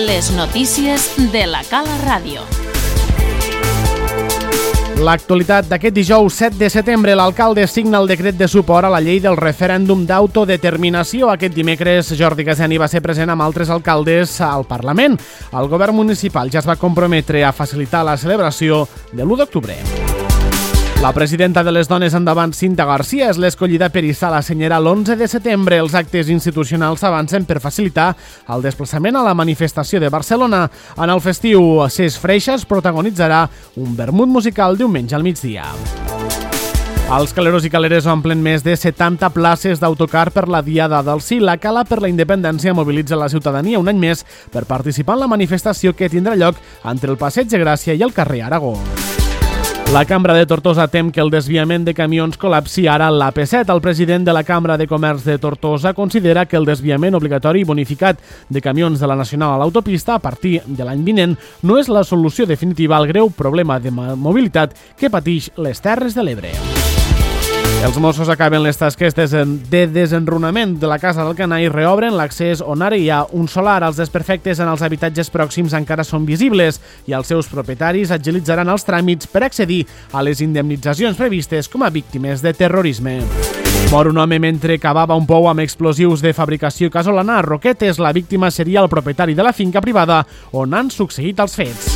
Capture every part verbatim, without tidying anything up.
Les notícies de la Cala Ràdio. L'actualitat d'aquest dijous set de setembre, l'alcalde signa el decret de suport a la llei del referèndum d'autodeterminació. Aquest dimecres, Jordi Gaseni va ser present amb altres alcaldes al Parlament. El govern municipal ja es va comprometre a facilitar la celebració de l'u d'octubre. La presidenta de les Dones Endavant, Cinta Garcia, és l'escollida per hissar la senyera l'onze de setembre. Els actes institucionals s'avancen per facilitar el desplaçament a la manifestació de Barcelona. En el festiu, Ses Freixas protagonitzarà un vermut musical diumenge al migdia. Els caleros i caleres omplen més de setanta places d'autocar per la Diada del Sí. La Cala per la Independència mobilitza la ciutadania un any més per participar en la manifestació que tindrà lloc entre el Passeig de Gràcia i el carrer Aragó. La Cambra de Tortosa tem que el desviament de camions col·lapsi ara l'A P set. El president de la Cambra de Comerç de Tortosa considera que el desviament obligatori i bonificat de camions de la Nacional a l'autopista a partir de l'any vinent no és la solució definitiva al greu problema de mobilitat que pateix les Terres de l'Ebre. Els Mossos acaben les tasques de desenrunament de la Casa d'Alcanar i reobren l'accés on ara hi ha un solar. Els desperfectes en els habitatges pròxims encara són visibles i els seus propietaris agilitzaran els tràmits per accedir a les indemnitzacions previstes com a víctimes de terrorisme. Mor un home mentre cavava un pou amb explosius de fabricació casolana a Roquetes. La víctima seria el propietari de la finca privada on han succeït els fets.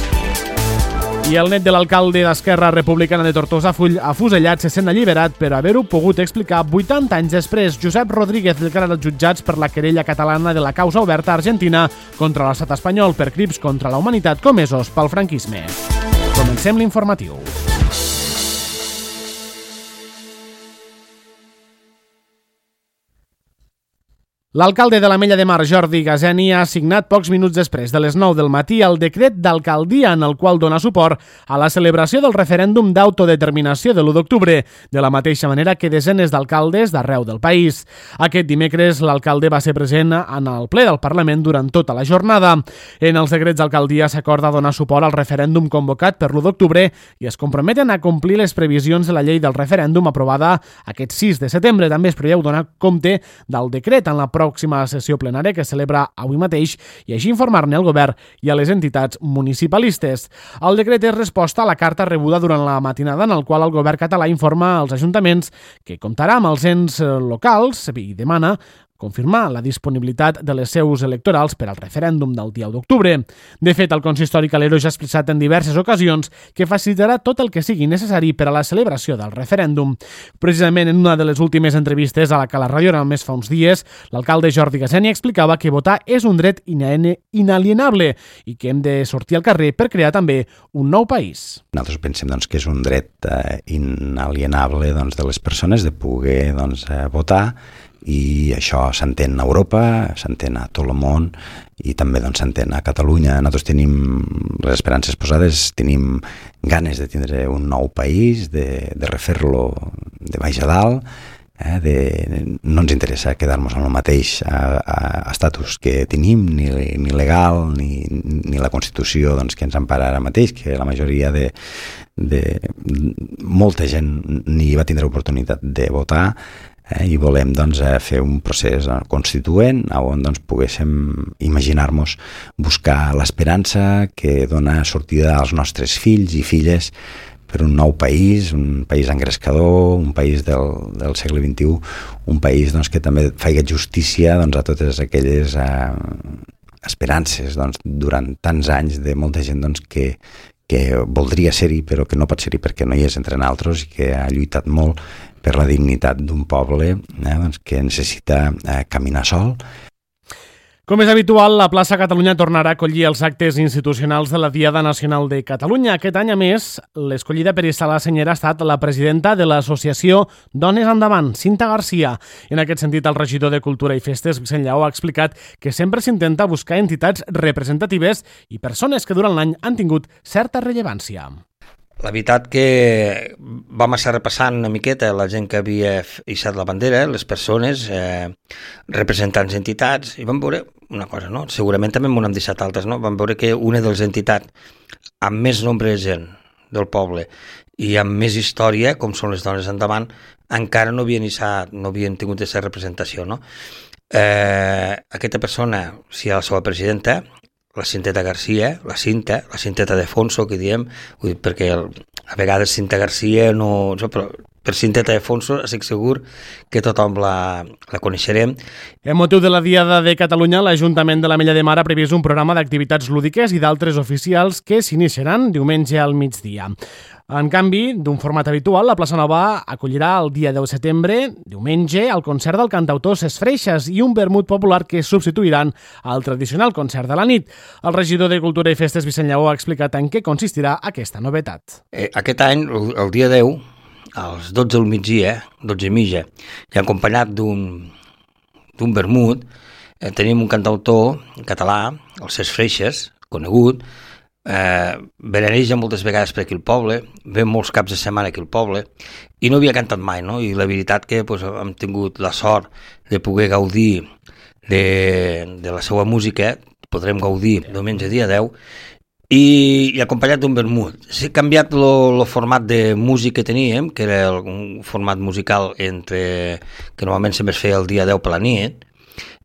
I el net de l'alcalde d'Esquerra Republicana de Tortosa, afusellat, se sent alliberat per haver-ho pogut explicar vuitanta anys després. Josep Rodríguez declara als jutjats per la querella catalana de la causa oberta a Argentina contra l'estat espanyol per crims contra la humanitat comesos pel franquisme. Comencem l'informatiu. L'alcalde de l'Ametlla de Mar, Jordi Gaseni, ha signat pocs minuts després de les nou del matí el decret d'alcaldia en el qual dona suport a la celebració del referèndum d'autodeterminació de l'u d'octubre, de la mateixa manera que desenes d'alcaldes d'arreu del país. Aquest dimecres, l'alcalde va ser present en el ple del Parlament durant tota la jornada. En els decrets d'alcaldia s'acorda donar suport al referèndum convocat per l'u d'octubre i es comprometen a complir les previsions de la llei del referèndum aprovada aquest sis de setembre. També es preveu donar compte del decret en la pròxima sessió plenària que es celebra avui mateix i així informar-ne al govern i a les entitats municipalistes. El decret és resposta a la carta rebuda durant la matinada en el qual el govern català informa als ajuntaments que comptarà amb els ens locals i demana confirmar la disponibilitat de les seus electorals per al referèndum del dia u d'octubre. De fet, el consistori calero ja ha expressat en diverses ocasions que facilitarà tot el que sigui necessari per a la celebració del referèndum. Precisament en una de les últimes entrevistes a la Cala Ràdio, només fa uns dies, l'alcalde Jordi Gaseni explicava que votar és un dret inalienable i que hem de sortir al carrer per crear també un nou país. Nosaltres pensem doncs, que és un dret eh, inalienable doncs, de les persones de poder doncs, eh, votar, i això s'entén a Europa, s'entén a tot el món i també doncs, s'entén a Catalunya. Nosaltres tenim les esperances posades, tenim ganes de tindre un nou país, de, de refer-lo de baix a dalt, eh, de, no ens interessa quedar-nos en el mateix a, a, a estatus que tenim, ni, ni legal, ni, ni la Constitució doncs, que ens empara ara mateix, que la majoria de, de molta gent ni va tindre oportunitat de votar. Eh, i volem doncs, fer un procés constituent on doncs, poguéssim imaginar-nos buscar l'esperança que dona sortida als nostres fills i filles per un nou país, un país engrescador, un país del, del segle vint-i-u, un país doncs, que també faci justícia doncs, a totes aquelles eh, esperances doncs, durant tants anys de molta gent doncs, que, que voldria ser-hi però que no pot ser-hi perquè no hi és entre nosaltres i que ha lluitat molt per la dignitat d'un poble eh, doncs, que necessita eh, caminar sol. Com és habitual, la plaça Catalunya tornarà a acollir els actes institucionals de la Diada Nacional de Catalunya. Aquest any, a més, l'escollida per hissar la senyera ha estat la presidenta de l'associació Dones Endavant, Cinta Garcia. En aquest sentit, el regidor de Cultura i Festes, Vicent Lleó, ha explicat que sempre s'intenta buscar entitats representatives i persones que durant l'any han tingut certa rellevància. La veritat que vam estar repassant una miqueta la gent que havia hissat la bandera, les persones, eh, representants d'entitats, i vam veure una cosa, no? Segurament també m'ho hem deixat altres, no? Vam veure que una de les entitats amb més nombre de gent del poble i amb més història, com són les Dones Endavant, encara no havien hissat, no havien tingut aquesta representació, no? Eh, aquesta persona, si era la seva presidenta, la Cinteta Garcia, la Cinta, la Cinteta de Fonso, que diem, vull dir, perquè el, a vegades Cinta Garcia no... Però per Cinteta de Fonso estic segur que tothom la, la coneixerem. En motiu de la Diada de Catalunya, l'Ajuntament de l'Ametlla de Mar ha previst un programa d'activitats lúdiques i d'altres oficials que s'iniciaran diumenge al migdia. En canvi, d'un format habitual, la Plaça Nova acollirà el dia deu de setembre, diumenge, el concert del cantautor Ses Freixes i un vermut popular que substituiran al tradicional concert de la nit. El regidor de Cultura i Festes, Vicent Lleó, ha explicat en què consistirà aquesta novetat. Eh, aquest any, el, el dia deu, als dotze del migdia, dotze i mitja, i acompanyat d'un d'un vermut, eh, tenim un cantautor català, el Ses Freixes, conegut, eh, venereja moltes vegades per aquí el poble, ve molts caps de setmana aquí al poble, i no havia cantat mai, no? I la veritat que pues, hem tingut la sort de poder gaudir de, de la seva música, podrem gaudir diumenge dia deu, i, i acompanyat d'un vermut. S'ha canviat el format de música que teníem, que era el, un format musical entre que normalment sempre es feia el dia deu per la nit,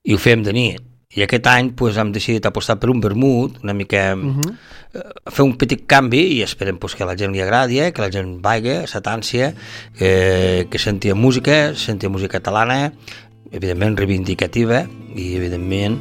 i ho fèiem de nit. I aquest any pues, hem decidit apostar per un vermut, una mica uh-huh. eh, fer un petit canvi, i esperem pues, que a la gent li agradi, eh, que la gent vagi, s'atànsia, eh, que sentia música, sentia música catalana, evidentment reivindicativa i evidentment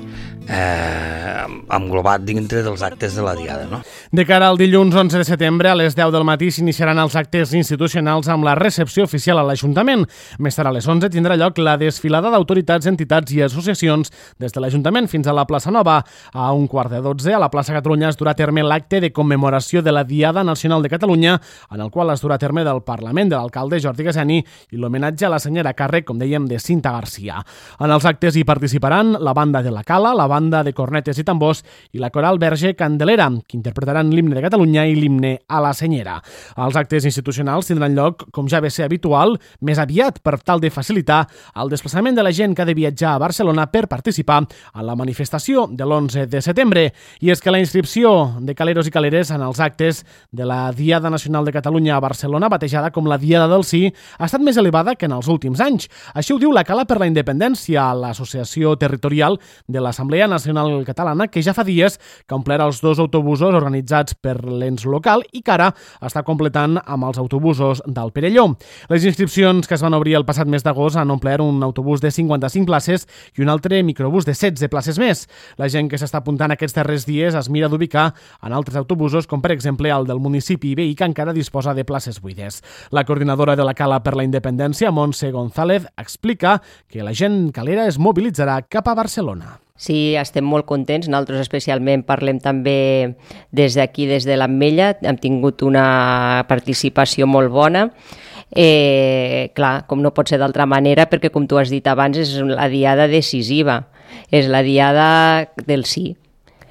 eh, englobat dintre dels actes de la Diada. No? De cara al dilluns onze de setembre, a les deu del matí s'iniciaran els actes institucionals amb la recepció oficial a l'Ajuntament. Més tard a les onze tindrà lloc la desfilada d'autoritats, entitats i associacions des de l'Ajuntament fins a la plaça Nova. A un quart de dotze, a la plaça Catalunya es durà a terme l'acte de commemoració de la Diada Nacional de Catalunya, en el qual es durà a terme del Parlament de l'alcalde Jordi Gaseni i l'homenatge a la senyora càrrec, com dèiem, de Cinta Garcia. En els actes hi participaran la banda de la Cala, la banda de cornetes i tambors i la coral Verge Candelera, que interpretaran l'himne de Catalunya i l'himne a la Senyera. Els actes institucionals tindran lloc, com ja ve ser habitual, més aviat per tal de facilitar el desplaçament de la gent que ha de viatjar a Barcelona per participar en la manifestació de l'onze de setembre. I és que la inscripció de caleros i caleres en els actes de la Diada Nacional de Catalunya a Barcelona, batejada com la Diada del Sí, ha estat més elevada que en els últims anys. Així ho diu la Cala per la Independència, l'associació territorial de l'Assemblea Nacional Catalana, que ja fa dies que ha omplert els dos autobusos organitzats per l'ens local i que ara està completant amb els autobusos del Perelló. Les inscripcions que es van obrir el passat mes d'agost han omplert un autobús de cinquanta-cinc places i un altre microbús de setze places més. La gent que s'està apuntant aquests darrers dies es mira d'ubicar en altres autobusos, com per exemple el del municipi veí, que encara disposa de places buides. La coordinadora de la Cala per la Independència, Montse González, explica que la gent calera es mobilitzarà cap a Barcelona. Sí, estem molt contents. Nosaltres especialment parlem també des d'aquí, des de l'Ametlla. Hem tingut una participació molt bona. Eh, clar, com no pot ser d'altra manera, perquè com tu has dit abans, és la diada decisiva. És la diada del sí.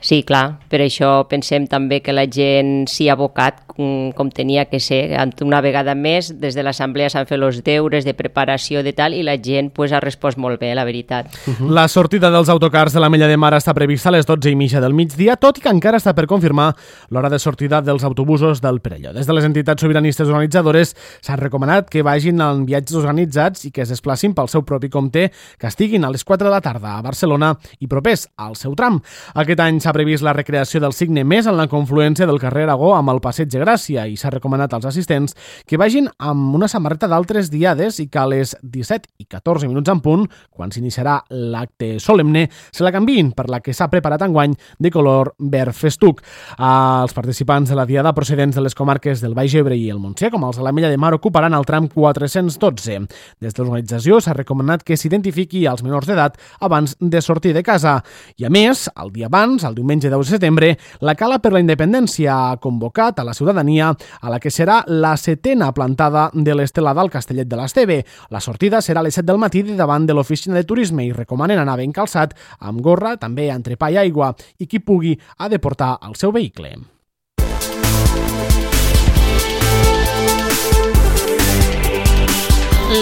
Sí, clar, per això pensem també que la gent s'hi ha abocat com, com tenia que ser. Una vegada més, des de l'Assemblea s'han fet els deures de preparació de tal i la gent pues, ha respost molt bé, la veritat. Uh-huh. La sortida dels autocars de l'Ametlla de Mar està prevista a les dotze i mitja del migdia, tot i que encara està per confirmar l'hora de sortida dels autobusos del Perelló. Des de les entitats sobiranistes organitzadores s'han recomanat que vagin en viatges organitzats i que es desplacin pel seu propi compte, que estiguin a les quatre de la tarda a Barcelona i propers al seu tram. Aquest any s'ha previst la recreació del Cigne Més en la confluència del carrer Aragó amb el Passeig de Gràcia i s'ha recomanat als assistents que vagin amb una samarreta d'altres diades i que a les disset i catorze minuts en punt, quan s'iniciarà l'acte solemne, se la canviïn per la que s'ha preparat enguany de color verd festuc. Els participants de la diada procedents de les comarques del Baix Ebre i el Montsià, com els de l'Ametlla de Mar, ocuparan el tram quatre-cents dotze. Des de l'organització s'ha recomanat que s'identifiqui als menors d'edat abans de sortir de casa. I a més, el dia abans, el diumenge deu de setembre, la Cala per la Independència ha convocat a la ciutadania a la que serà la setena plantada de l'estelada al Castellet de l'Esteve. La sortida serà a les set del matí de davant de l'oficina de turisme i recomanen anar ben calçat, amb gorra, també entrepà i aigua, i qui pugui ha de portar el seu vehicle.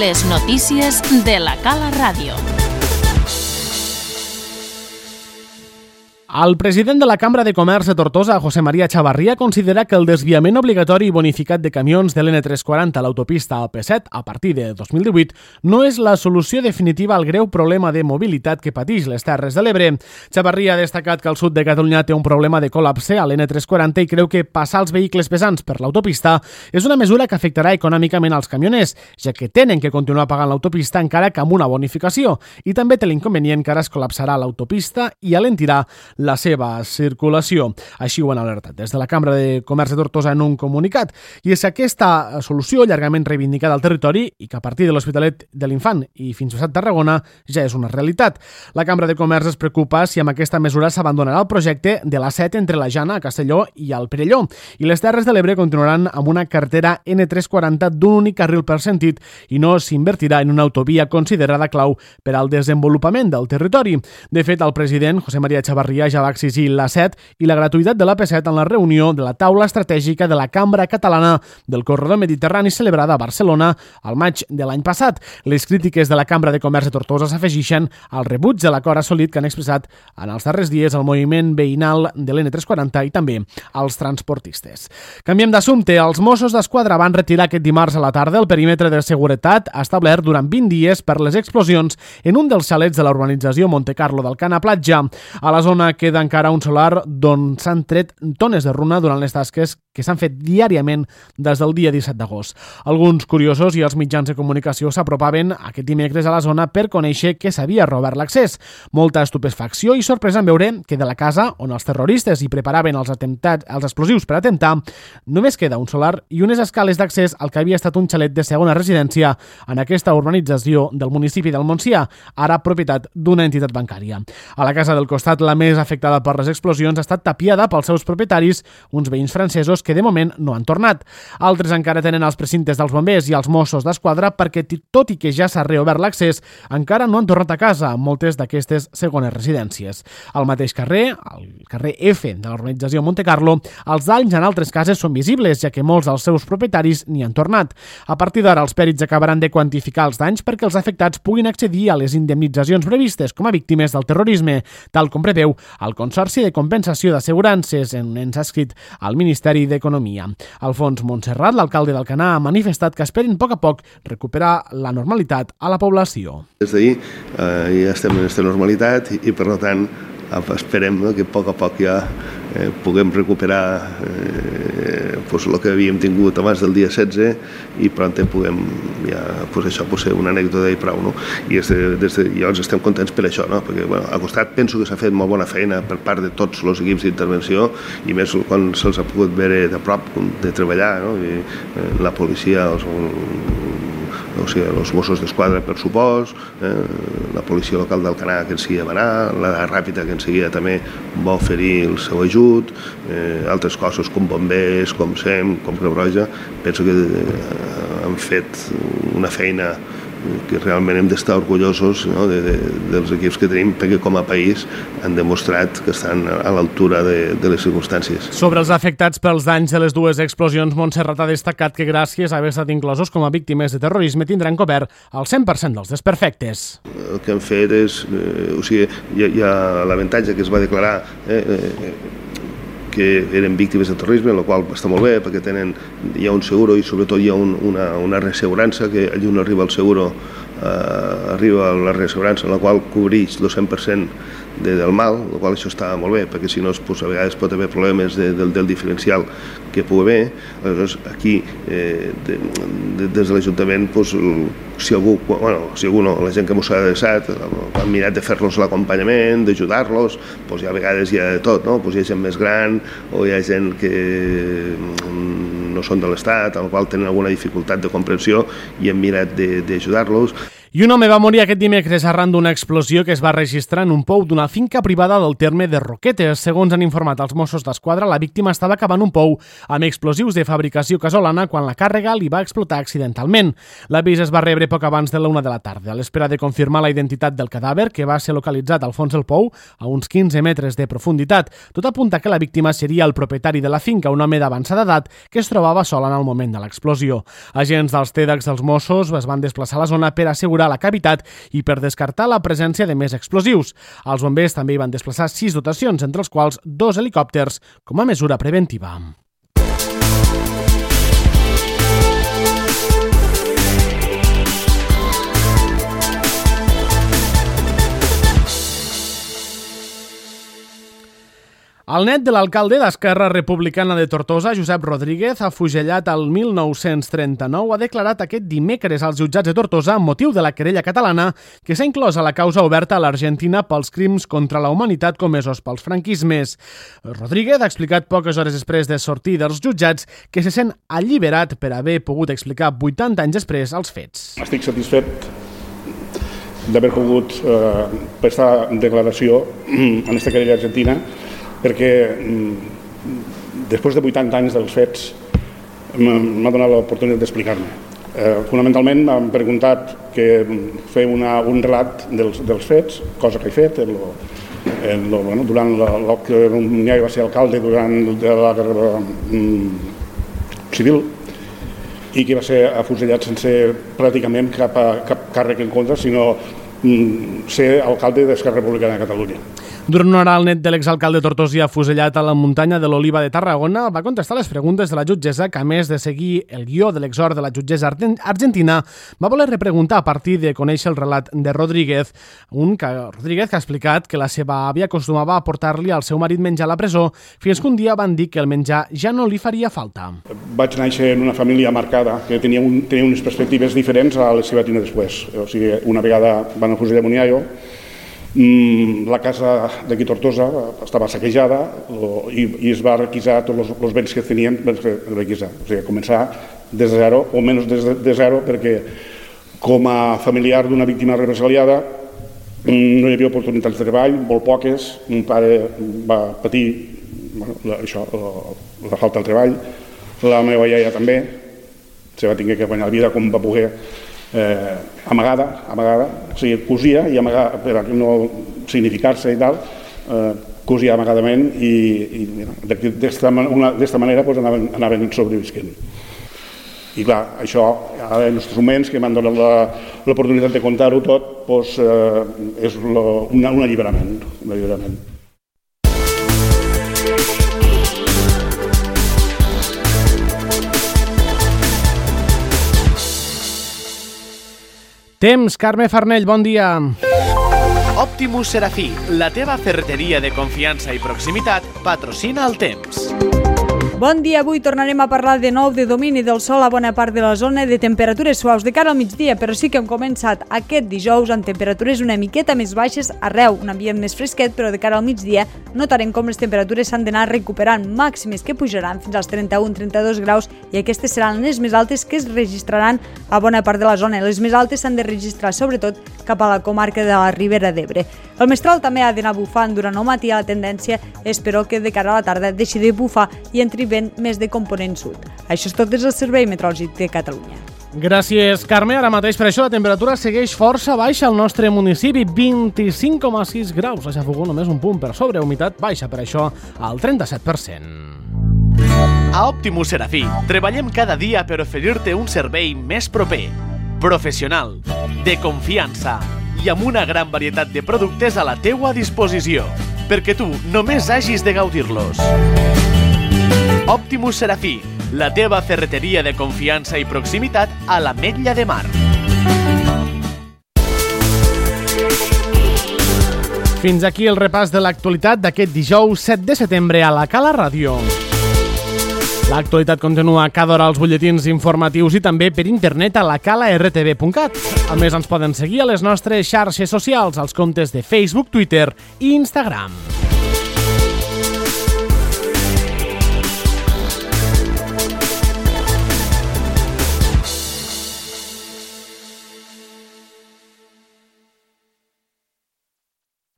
Les notícies de la Cala Ràdio. El president de la Cambra de Comerç de Tortosa, José María Chavarría, considera que el desviament obligatori i bonificat de camions de l'N tres quaranta a l'autopista A P set a partir de dos mil divuit no és la solució definitiva al greu problema de mobilitat que pateix les Terres de l'Ebre. Chavarría ha destacat que el sud de Catalunya té un problema de col·lapse a l'N tres quaranta i creu que passar els vehicles pesants per l'autopista és una mesura que afectarà econòmicament als camioners, ja que tenen que continuar pagant l'autopista encara que amb una bonificació, i també té l'inconvenient que ara es col·lapsarà l'autopista i alentirà la seva circulació. Així ho han alertat des de la Cambra de Comerç de Tortosa en un comunicat. I és aquesta solució llargament reivindicada al territori i que a partir de l'Hospitalet de l'Infant i fins a Tarragona ja és una realitat. La Cambra de Comerç es preocupa si amb aquesta mesura s'abandonarà el projecte de l'A set entre la Jana, a Castelló i el Perelló, i les Terres de l'Ebre continuaran amb una carretera N tres quaranta d'un únic carril per sentit i no s'invertirà en una autovia considerada clau per al desenvolupament del territori. De fet, el president, José María Chavarría, ja va exigir l'A set i la gratuïtat de l'A P set en la reunió de la taula estratègica de la Cambra Catalana del Corredor Mediterrani celebrada a Barcelona al maig de l'any passat. Les crítiques de la Cambra de Comerç de Tortosa s'afegeixen al rebuig de l'acord assolit que han expressat en els darrers dies el moviment veïnal de l'N tres quaranta i també els transportistes. Canviem d'assumpte. Els Mossos d'Esquadra van retirar aquest dimarts a la tarda el perímetre de seguretat establert durant vint dies per les explosions en un dels xalets de la urbanització Montecarlo del Cana Platja. A la zona queda encara un solar d'on s'han tret tones de runa durant les tasques que s'han fet diàriament des del dia disset d'agost. Alguns curiosos i els mitjans de comunicació s'apropaven aquest dimecres a la zona per conèixer que s'havia robat l'accés. Molta estupefacció i sorpresa en veure que de la casa on els terroristes hi preparaven els atemptats, els explosius per atemptar, només queda un solar i unes escales d'accés al que havia estat un xalet de segona residència en aquesta urbanització del municipi del Montsià, ara propietat d'una entitat bancària. A la casa del costat, la més afectada per les explosions, ha estat tapiada pels seus propietaris, uns veïns francesos que de moment no han tornat. Altres encara tenen els precintes dels bombers i els Mossos d'Esquadra perquè, tot i que ja s'ha reobert l'accés, encara no han tornat a casa moltes d'aquestes segones residències. Al mateix carrer, al carrer F de l'urbanització Montecarlo, els danys en altres cases són visibles, ja que molts dels seus propietaris n'hi han tornat. A partir d'ara, els pèrits acabaran de quantificar els danys perquè els afectats puguin accedir a les indemnitzacions previstes com a víctimes del terrorisme, tal com preveu el Consorci de Compensació d'Assegurances, en ens ha escrit al Ministeri d'Economia. Alfons Montserrat, l'alcalde d'Alcanar, ha manifestat que esperen a poc a poc recuperar la normalitat a la població. Des d'ahir eh, ja estem en aquesta normalitat i, i per tant esperem, no, que a poc a poc ja eh, puguem recuperar eh, pues, el que havíem tingut abans del dia setze i pront puguem ja, pues, això pot ser una anècdota i prou, no? I des de, des de, llavors estem contents per això, no? Perquè bueno, al costat penso que s'ha fet molt bona feina per part de tots els equips d'intervenció i més quan se'ls ha pogut veure de prop de treballar, no? I, eh, la policia, els, o sigui, els Mossos d'Esquadra per supost, eh, la policia local d'Alcanar que en seguida va anar, la Ràpita que en seguida també va oferir el seu ajut, eh, altres cossos com bombers, com SEM, com Creu Roja, penso que eh, han fet una feina que realment hem d'estar orgullosos, no, de, de, dels equips que tenim, perquè com a país han demostrat que estan a l'altura de, de les circumstàncies. Sobre els afectats pels danys de les dues explosions, Montserrat ha destacat que gràcies a haver estat inclosos com a víctimes de terrorisme tindran cobert el cent per cent dels desperfectes. El que han fet és, eh, o sigui, hi ha, hi ha l'avantatge que es va declarar eh, eh, que eren víctimes de terrorisme, el qual està molt bé perquè tenen, hi ha un seguro i sobretot hi ha un, una, una reassegurança que allí on arriba el seguro eh, arriba la reassegurança en la qual cobreix el cent per cent de, del mal, el qual això està molt bé perquè si no pues, a vegades pot haver problemes de, del, del diferencial que pugui haver. Aleshores aquí eh, de, de, des de l'Ajuntament pues, si algú, bueno, si algú no, la gent que m'ho s'ha adreçat han mirat de fer-los l'acompanyament, d'ajudar-los, pues, hi ha vegades hi ha de tot, no? Pues, hi ha gent més gran o hi ha gent que no són de l'Estat, al qual tenen alguna dificultat de comprensió i hem mirat d'ajudar-los. I un home va morir aquest dimecres arran d'una explosió que es va registrar en un pou d'una finca privada del terme de Roquetes. Segons han informat els Mossos d'Esquadra, la víctima estava cavant un pou amb explosius de fabricació casolana quan la càrrega li va explotar accidentalment. L'avís es va rebre poc abans de la una de la tarda. A l'espera de confirmar la identitat del cadàver, que va ser localitzat al fons del pou, a uns quinze metres de profunditat, tot apunta que la víctima seria el propietari de la finca, un home d'avançada edat que es trobava sol en el moment de l'explosió. Agents dels T E D X dels Mossos es van desplaçar a la zona per assegurar mesurar la cavitat i per descartar la presència de més explosius. Els bombers també hi van desplaçar sis dotacions, entre els quals dos helicòpters, com a mesura preventiva. El net de l'alcalde d'Esquerra Republicana de Tortosa, Josep Rodríguez, afusellat al mil nou-cents trenta-nou, ha declarat aquest dimecres als jutjats de Tortosa amb motiu de la querella catalana que s'ha inclòs a la causa oberta a l'Argentina pels crims contra la humanitat comesos pels franquismes. Rodríguez ha explicat poques hores després de sortir dels jutjats que se sent alliberat per haver pogut explicar vuitanta anys després els fets. Estic satisfet d'haver pogut eh, prestar declaració en aquesta querella argentina perquè després de vuitanta anys dels fets m'ha donat l'oportunitat d'explicar-me. Eh, fonamentalment m'han preguntat que fer una, un relat dels, dels fets, cosa que he fet, en lo, en lo, bueno, durant la, la, que ja va ser alcalde durant la guerra mm, civil i que va ser afusellat sense pràcticament cap, cap càrrec en contra, sinó mm, ser alcalde d'Esquerra Republicana de Catalunya. Durant una hora, el net de l'exalcalde tortosí afusellat a la muntanya de l'Oliva de Tarragona va contestar les preguntes de la jutgessa que, a més de seguir el guió de l'exhort de la jutgessa argentina, va voler repreguntar a partir de conèixer el relat de Rodríguez, un que, Rodríguez que ha explicat que la seva àvia acostumava a portar-li al seu marit menjar a la presó fins que un dia van dir que el menjar ja no li faria falta. Vaig néixer en una família marcada que tenia, un, tenia unes perspectives diferents a les que va tenir després. O sigui, una vegada van afusellar mon iaio, la casa d'aquí Tortosa estava saquejada i, i es va requisar tots els, els béns que tenien per requisar. O sigui, començar des de zero, o menys des de, de zero, perquè com a familiar d'una víctima represaliada no hi havia oportunitats de treball, molt poques. Mon pare va patir bueno, això, la, la falta de treball, la meva iaia també, se va tenir que guanyar la vida com va poder. Eh, amagada, amagada, o sigui, cosia i amagada, per no significar-se i tal, eh, cosia amagadament i, i d'esta manera pues, anaven, anaven sobrevisquent. I clar, això, ara en els moments que m'han donat l'oportunitat de contar-ho tot, pues, eh, és lo, una, un alliberament, un alliberament. Temps, Carme Farnell, bon dia. Optimus Serafí, la teva ferreteria de confiança i proximitat, patrocina el temps. Bon dia, avui tornarem a parlar de nou de domini del sol a bona part de la zona, de temperatures suaus de cara al migdia, però sí que hem començat aquest dijous amb temperatures una miqueta més baixes arreu, un ambient més fresquet, però de cara al migdia notarem com les temperatures s'han d'anar recuperant, màximes que pujaran fins als trenta-un a trenta-dos graus i aquestes seran les més altes que es registraran a bona part de la zona. Les més altes s'han de registrar sobretot cap a la comarca de la Ribera d'Ebre. El mestral també ha d'anar bufant durant el matí, a la tendència és però que de cara a la tarda deixi de bufar i entri vent més de component sud. Això és tot des del Servei Meteorològic de Catalunya. Gràcies, Carme. Ara mateix per això la temperatura segueix força baixa al nostre municipi, vint-i-cinc coma sis graus. La xafogó només un punt per sobre, humitat baixa per això al trenta-set per cent. A Optimus Serafí treballem cada dia per oferir-te un servei més proper, professional, de confiança i amb una gran varietat de productes a la teua disposició, perquè tu només hagis de gaudir-los. Optimus Serafí, la teva ferreteria de confiança i proximitat a l'Ametlla de Mar. Fins aquí el repàs de l'actualitat d'aquest dijous set de setembre a la Cala Ràdio. L'actualitat continua cada hora als butlletins informatius i també per internet a la cala r t v punt cat. A més, ens poden seguir a les nostres xarxes socials, als comptes de Facebook, Twitter i Instagram.